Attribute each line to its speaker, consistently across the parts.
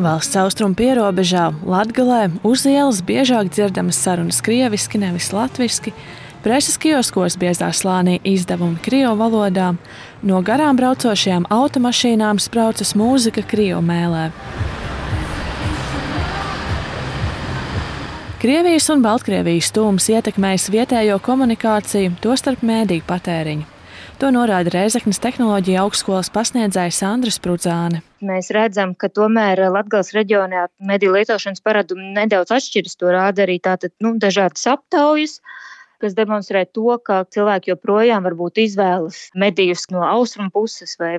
Speaker 1: Valsts austrumu pierobežā, Latgalē, uz ielas biežāk dzirdamas sarunas krieviski, nevis latviski, preses kioskos biezā slānī izdevumi krievu valodā, no garām braucošajām automašīnām spraucas mūzika krievu mēlē. Krievijas un Baltkrievijas tūms ietekmējis vietējo komunikāciju, tostarp mēdīju patēriņu. To norāda Rēzeknes tehnoloģija augstskolas pasniedzējs Andris Prudzāne.
Speaker 2: Mēs redzam, ka tomēr Latgales reģionā mediju lietošanas paradumi nedaudz atšķiras. To rāda arī dažādas aptaujas, kas demonstrē to, ka cilvēki joprojām varbūt izvēlas medijus no austrumu puses vai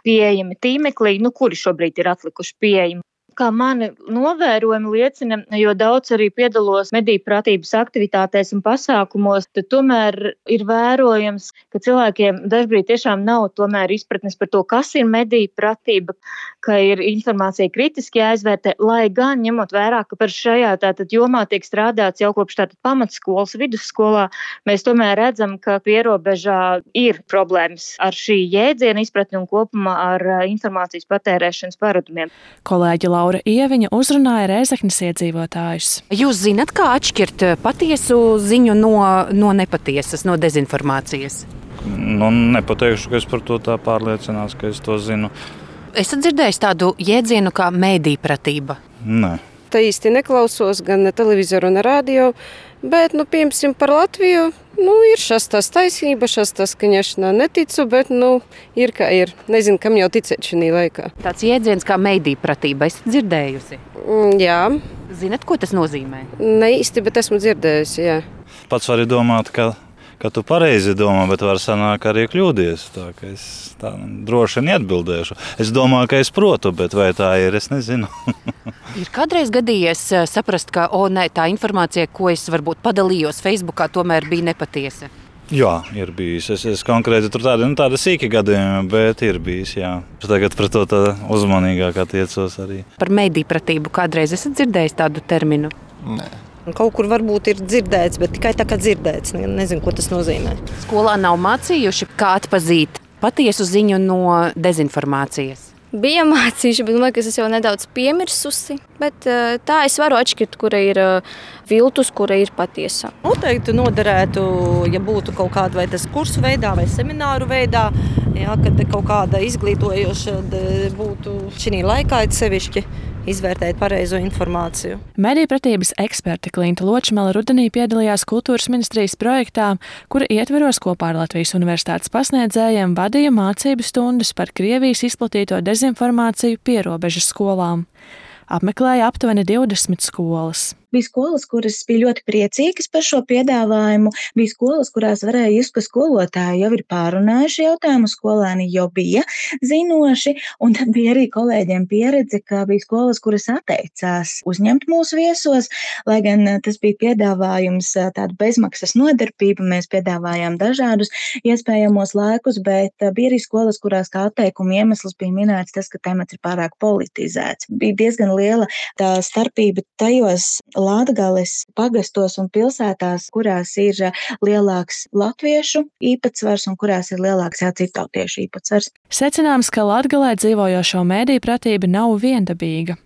Speaker 2: pieejami tīmeklī, kuri šobrīd ir atlikuši pieejami. Kā mani novērojumi liecina, jo daudz arī piedalos mediju pratības aktivitātēs un pasākumos, tad tomēr ir vērojams, ka cilvēkiem dažbrīd tiešām nav tomēr izpratnes par to, kas ir mediju pratība, ka ir informācija kritiski jāizvērtē, lai gan ņemot vērā, ka par šajā jomā tiek strādāts jau kopš pamatskolas, vidusskolā, mēs tomēr redzam, ka pierobežā ir problēmas ar šī jēdziena izpratni un kopumā ar informācijas patērēšanas paradumiem.
Speaker 1: Kolēģi Laura Ieviņa uzrunāja Rēzeknes iedzīvotājus.
Speaker 3: Jūs zināt, kā atšķirt patiesu ziņu no nepatiesas, no dezinformācijas?
Speaker 4: Nepateikšu, ka es par to tā pārliecinās, ka es to zinu.
Speaker 3: Esat dzirdējis tādu jēdzienu kā mēdīpratība?
Speaker 4: Nē.
Speaker 5: Tā īsti neklausos gan televizoru un radio, bet, piemēram, par Latviju, ir šastās taisnība, šastās skaņašanā neticu, bet, ir kā ir. Nezinu, kam jau ticēt šī laikā.
Speaker 3: Tāds jēdziens kā mēdīpratība, esat dzirdējusi?
Speaker 5: Jā.
Speaker 3: Zinat, ko tas nozīmē?
Speaker 5: Ne īsti, bet esmu dzirdējusi, jā.
Speaker 4: Pats vari domāt, ka tu pareizi domā, bet var sanāk arī kļūdies. Tā ka es tā droši neatbildēšu. Es domāju, ka es protu, bet vai tā ir, es nezinu.
Speaker 3: Ir kādreiz gadījies saprast, ka tā informācija, ko es varbūt padalījos Facebookā, tomēr bija nepatiesa?
Speaker 4: Jā, ir bijis. Es konkrēti tur tāda sīki gadījumi, bet ir bijis, jā. Tagad pret to tā uzmanīgāk attiecos arī.
Speaker 3: Par mēdīpratību kādreiz esat dzirdējis tādu terminu?
Speaker 4: Nē.
Speaker 6: Kaut kur varbūt ir dzirdēts, bet tikai tā kā dzirdēts. Nezinu, ko tas nozīmē.
Speaker 3: Skolā nav mācījuši, kā atpazīt patiesu ziņu no dezinformācijas?
Speaker 7: Bija mācījuši, bet man liekas, es jau nedaudz piemirsusi. Bet tā es varu atšķirt, kura ir viltus, kura ir patiesa.
Speaker 6: Noteikti noderētu, ja būtu kaut kāda vai tas kursu veidā vai semināru veidā, kad kaut kāda izglītojoša būtu šī laikā sevišķi izvērtēt pareizo informāciju.
Speaker 1: Medijpratības eksperte Klinta Ločmele rudenī piedalījās Kultūras ministrijas projektā, kura ietveros kopā ar Latvijas universitātes pasniedzējiem vadīja mācību stundas par Krievijas izplatīto dezinformāciju pierobežas skolām. Apmeklēja aptuveni 20 skolas.
Speaker 8: Bija skolas, kuras bija ļoti priecīgas par šo piedāvājumu. Bija skolas, kurās varēja just, ka skolotāji jau ir pārunājuši jautājumu, skolēni jau bija zinoši, un tad bija arī kolēģiem pieredze, ka bija skolas, kuras atteicās uzņemt mūsu viesos, lai gan tas bija piedāvājums tāda bezmaksas nodarbība, mēs piedāvājām dažādus iespējamos laikus, bet bija arī skolas, kurās kā atteikuma iemesls bija minēts tas, ka temats ir pārāk politizēts. Bija diezgan liela tā starpība tajos Latgales pagastos un pilsētās, kurās ir lielāks latviešu īpatsvars un kurās ir lielāks citautiešu īpatsvars.
Speaker 1: Secināms, ka Latgalē dzīvojošo mediju pratība nav viendabīga.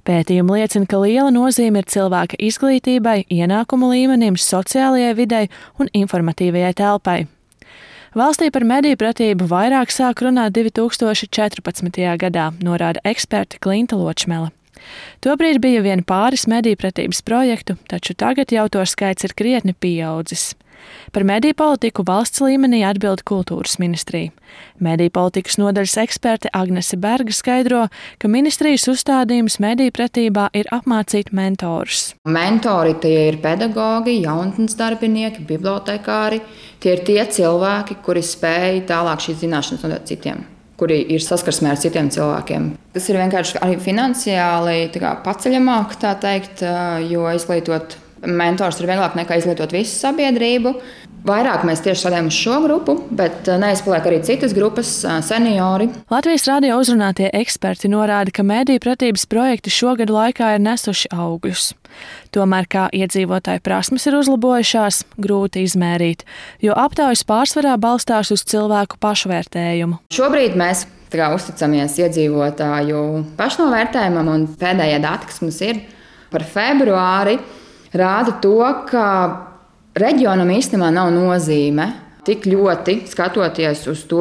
Speaker 1: Pētījumi liecina, ka liela nozīme ir cilvēka izglītībai, ienākumu līmenim, sociālajai videi un informatīvajai telpai. Valstī par mediju pratību vairāk sāk runāt 2014. gadā, norāda eksperte Klinta Ločmele. Tobrīd bija vien pāris medijpratības projektu, taču tagad jau to skaits ir krietni pieaudzis. Par mediju politiku valsts līmenī atbild Kultūras ministrija. Mediju politikas nodaļas eksperte Agnese Berga skaidro, ka ministrijas uzstādījums mediju pratībā ir apmācīt mentorus.
Speaker 9: Mentori tie ir pedagogi, jaunatnes darbinieki, bibliotekāri. Tie ir tie cilvēki, kuri spēj tālāk šīs zināšanas nodot citiem, kuri ir saskarsmē ar citiem cilvēkiem. Tas ir vienkārši arī finansiāli paceļamāk, tā teikt, jo izglītot mentors ir vieglāk nekā izglītot visu sabiedrību. Vairāk mēs tieši strādājam uz šo grupu, bet neizpaliek arī citas grupas, seniori.
Speaker 1: Latvijas radio uzrunātie eksperti norāda, ka mediju pratības projekti šogad laikā ir nesuši augļus. Tomēr, kā iedzīvotāju prasmes ir uzlabojušās, grūti izmērīt, jo aptaujas pārsvarā balstās uz cilvēku pašvērtējumu.
Speaker 9: Šobrīd mēs uzticamies iedzīvotāju pašnovērtējumam, un pēdējie dati, kas mums ir par februāri, rāda to, ka reģionam īstenībā nav nozīme tik ļoti skatoties uz to,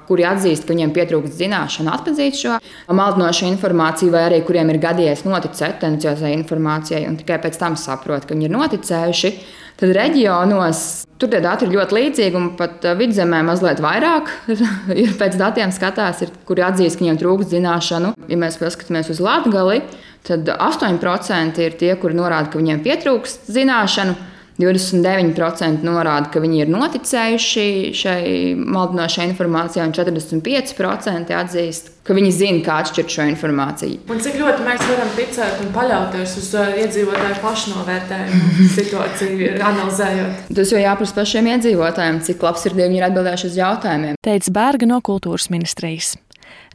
Speaker 9: kuri atzīst, ka viņiem pietrūkst zināšanu, atzīt šo maldinošu informāciju, vai arī kuriem ir gadījies noticēt tendenciozai informācijai un tikai pēc tam saprot, ka viņi ir noticējuši. Tad reģionos tur tie dati ir ļoti līdzīgi, un pat Vidzemē mazliet vairāk ir pēc datiem skatās, kuri atzīst, ka viņiem trūkst zināšanu. Ja mēs paskatāmies uz Latgali, tad 8% ir tie, kuri norāda, ka viņiem pietrūkst zināšanu. 29% norāda, ka viņi ir noticējuši šai maldinošai informācijai, un 45% atzīst, ka viņi zina, kā atšķirt šo informāciju.
Speaker 1: Un cik ļoti mēs varam ticēt un paļauties uz iedzīvotāju pašnovērtējumu situāciju, analizējot?
Speaker 9: Tas jau jāprasa pašiem iedzīvotājiem, cik labsirdīgi viņi ir atbildējuši uz jautājumiem.
Speaker 1: Teica Bērga no Kultūras ministrijas.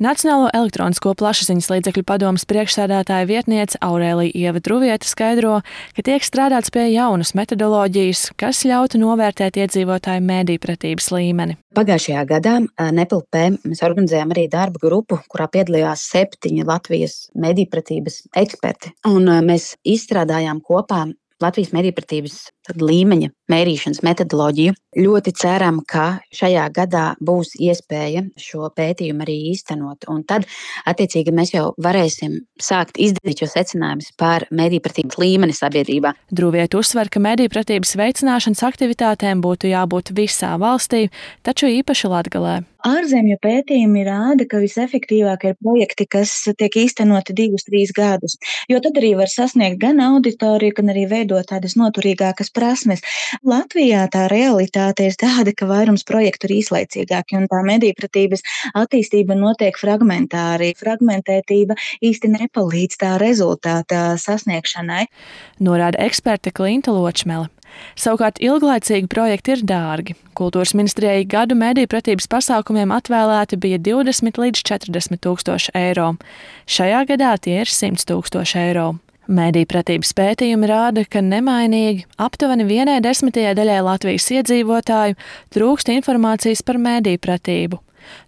Speaker 1: Nacionālo elektronisko plašsaziņas līdzekļu padomes priekšsēdētāja vietniece Aurēlija Ieva Druviete skaidro, ka tiek strādāts pie jaunas metodoloģijas, kas ļautu novērtēt iedzīvotāju medijpratības līmeni.
Speaker 10: Pagājušajā gadā NEPLP mēs organizējām arī darba grupu, kurā piedalījās 7 Latvijas medijpratības eksperti. Un mēs izstrādājām kopā Latvijas medijpratības līmeņa mērīšanas metodoloģiju. Ļoti ceram, ka šajā gadā būs iespēja šo pētījumu arī īstenot. Un tad, attiecīgi, mēs jau varēsim sākt izdarīt šo secinājumus par medijpratības līmeni sabiedrībā.
Speaker 1: Druviete uzsver, ka medijpratības veicināšanas aktivitātēm būtu jābūt visā valstī, taču īpaši Latgalē.
Speaker 8: Ārzemju pētījumi rāda, ka visefektīvākie ir projekti, kas tiek īstenoti 2-3 gadus, jo tad arī var sasniegt gan auditoriju, gan arī veidot tādas noturīgākas prasmes. Latvijā tā realitāte ir tāda, ka vairums projektu ir īslaicīgāki, un tā medijpratības attīstība notiek fragmentāri. Fragmentētība īsti nepalīdz tā rezultāta sasniegšanai.
Speaker 1: Norāda eksperte Klinta Ločmele. Savukārt ilglaicīgi projekti ir dārgi. Kultūras ministrijai gadu medijpratības pasākumiem atvēlēti bija 20 līdz 40 tūkstoši eiro. Šajā gadā tie ir 100 tūkstoši eiro. Medijpratības pētījumi rāda, ka nemainīgi aptuveni 1/10 Latvijas iedzīvotāju trūkst informācijas par medijpratību.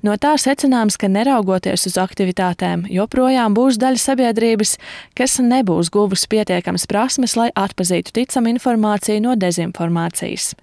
Speaker 1: No tā secināms, ka neraugoties uz aktivitātēm, joprojām būs daļa sabiedrības, kas nebūs guvusi pietiekamas prasmes, lai atpazītu ticamu informāciju no dezinformācijas.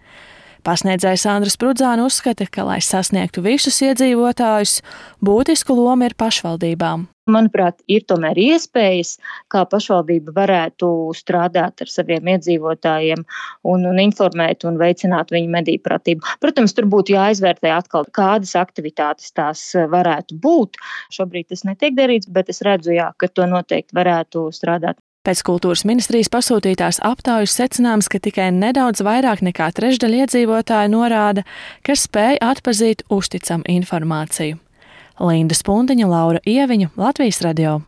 Speaker 1: Pasniedzējs Andris Prudzāne uzskata, ka, lai sasniegtu visus iedzīvotājus, būtisku lomu ir pašvaldībām.
Speaker 2: Manuprāt, ir tomēr iespējas, kā pašvaldība varētu strādāt ar saviem iedzīvotājiem un informēt un veicināt viņu medijpratību. Protams, tur būtu jāizvērtē atkal, kādas aktivitātes tās varētu būt. Šobrīd tas netiek darīts, bet es redzu, ka to noteikti varētu strādāt.
Speaker 1: Pēc kultūras ministrijas pasūtītās aptaujas secināms, ka tikai nedaudz vairāk nekā trešdaļa iedzīvotāju norāda, ka spēj atpazīt uzticamu informāciju. Linda Spundiņa, Laura Ieviņa, Latvijas radio.